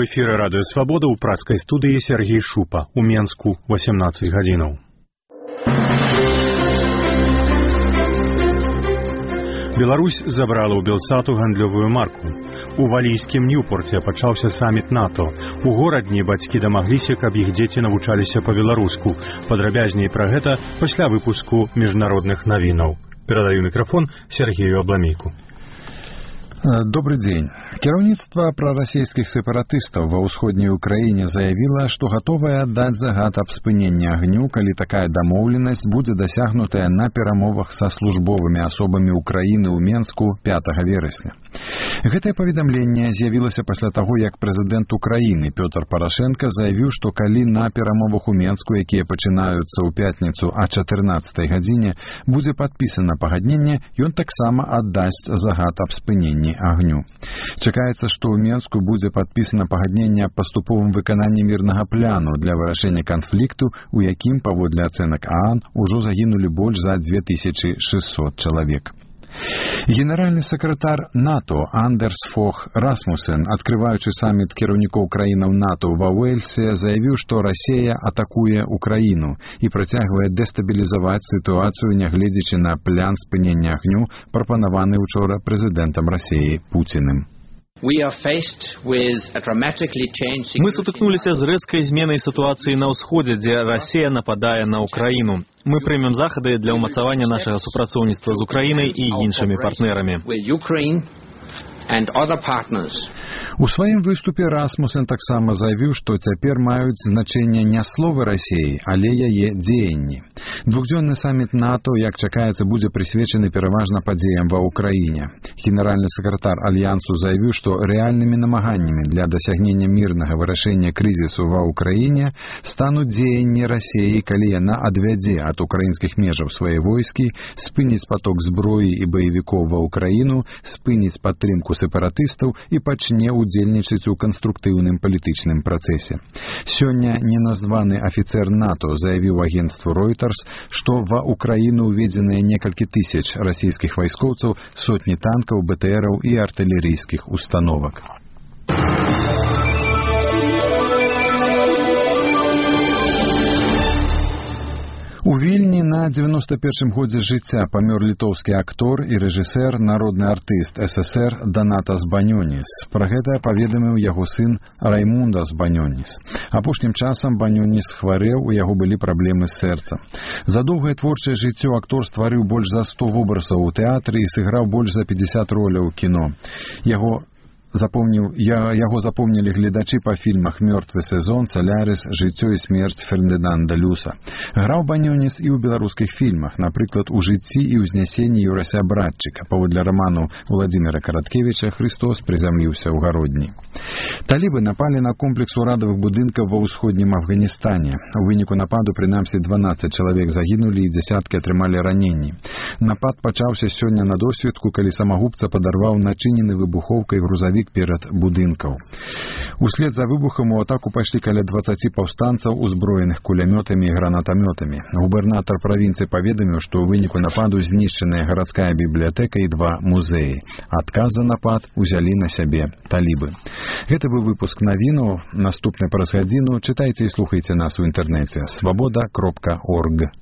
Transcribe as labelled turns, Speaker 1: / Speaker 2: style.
Speaker 1: эфіры радыё Свабода ў працкай студыі Сергей Шупа у Менску 18 гадзінаў. Беларусь забрала ў Белсату гандлёвую марку. У валійскім Ньюпорце пачаўся саміт НАТО. У горадні бацькі дамагліся, каб іх дзеці навучаліся па-беларуску. Падрабязней пра гэта пасля выпуску міжнародных навінаў. Перадаю мікрафон Сергею Абламейку.
Speaker 2: Добрый день. Кіраўніцтва прарасійскіх сепаратыстаў ва ўсходняй Украіне заявіла, што гатовая аддаць загад аб спыненні агню, калі такая дамоўленасць будзе дасягнутая на перамовах са службовымі асобамі Украіны ў Менску 5 верасня. Гэтае паведамленне з'явілася пасля таго, як прэзідэнт Украіны Пётр Парашенка заявіў, што калі на перамовах у Менску, якія пачынаюцца ў пятніцу а 14 гадзіне, будзе падпісана пагадненне, ён таксама аддасць загад аб спыненні агню. Чакаецца, што ў Менску будзе падпісана пагадненне аб паступовым выкананні мірнага пляну для вырашэння канфлікту, у якім, паводле ацэнак ААН, ужо загінулі больш за 2600 чалавек. Генеральны сакратар НАТО Андерс Фох Расмусен, адкрываючы саміт кіраўнікоў краінаў НАТО ва Уэльсе, заявіў, што Расія атакуе Украіну і працягвае дэстабілізаваць сітуацыю, нягледзячы на плян спынення агню, прапанаваны учора прэзідэнтам Расіі Пуціным.
Speaker 3: Мы сутыкнуліся з рэзкай зменай сітуацыі на ўсходзе, дзе Расія нападае на Украіну. Мы прымем захады для ўмацавання нашага супрацоўніцтва з Украінай і іншымі партнерамі.
Speaker 2: У сваім выступе Расмусен таксама заявіў, што цяпер маюць значэнне не словы Расіі, але яе дзеянні. Двухдзённы саміт НАТО, як чакаецца, будзе прысвечаны пераважна падзеям ва Ўкраіне. Генеральны сакратар Альянсу заявіў, што рэальнымі намаганнямі для дасягнення мірнага вырашэння крызісу ва Ўкраіне стануць дзеянні Расіі, калі яна адвядзе ад украінскіх межаў свае войскі, спыніць поток зброі і баевікоў ва Ўкраіну, спыніць падтрымку сепаратыстаў і пачне удзельнічаць у канструктыўным палітычным працэсе. Сёння неназваны афіцэр НАТО заявіў агенцтву Reuters, што ва Ўкраіну уведзеныя некалькі тысяч расійскіх вайскоўцаў, сотні танкаў, БТРаў і артылерыйскіх установак. У Вільні на 91-м годзе жыцця памёр літоўскі актор і рэжысэр, народны артыст СССР Данатас Банёніс. Пра гэта паведаміў яго сын Раймундас Банёніс. Апошнім часам Банёніс хварэў, у яго былі праблемы з сэрцам. За доўгае творчае жыццё актор стварыў больш за 100 вобразаў у тэатры і сыграў больш за 50 роляў у кіно. Яго запомнілі гледачы па фільмах «Мёртвы сезон», «Салярис», «Жыццё і смерць» Фердынанда Люса. Граў Банёніс і ў беларускіх фільмах, напрыклад, у «Жыцці і ўзнясенні» Юрася Братчыка. Паводле раману Владзіміра Караткевіча «Христос прызямліўся ў гародні». Талібы напалі на комплекс урадавых будынкаў ва ўсходнім Афганістане. У выніку нападу прынамсі 12 чалавек загінулі і дзясяткі атрымалі раненні. Напад пачаўся сёння на досведку, калі самагубца падарваў начынены выбухоўкай грузавік перад будынкаў. Услед за выбухам у атаку пайшлі каля 20 паўстанцаў, узброеных кулямётамі і гранатамётамі. Губернатар правінцыі паведаміў, што ў выніку нападу знішчаная гарадская бібліятэка і 2 музеі. Адказ за напад узялі на сябе талібы. Гэта быў выпуск навінаў. Наступны праз гадзіну чытайце і слухайце нас у інтэрнэце. Свабода.орг.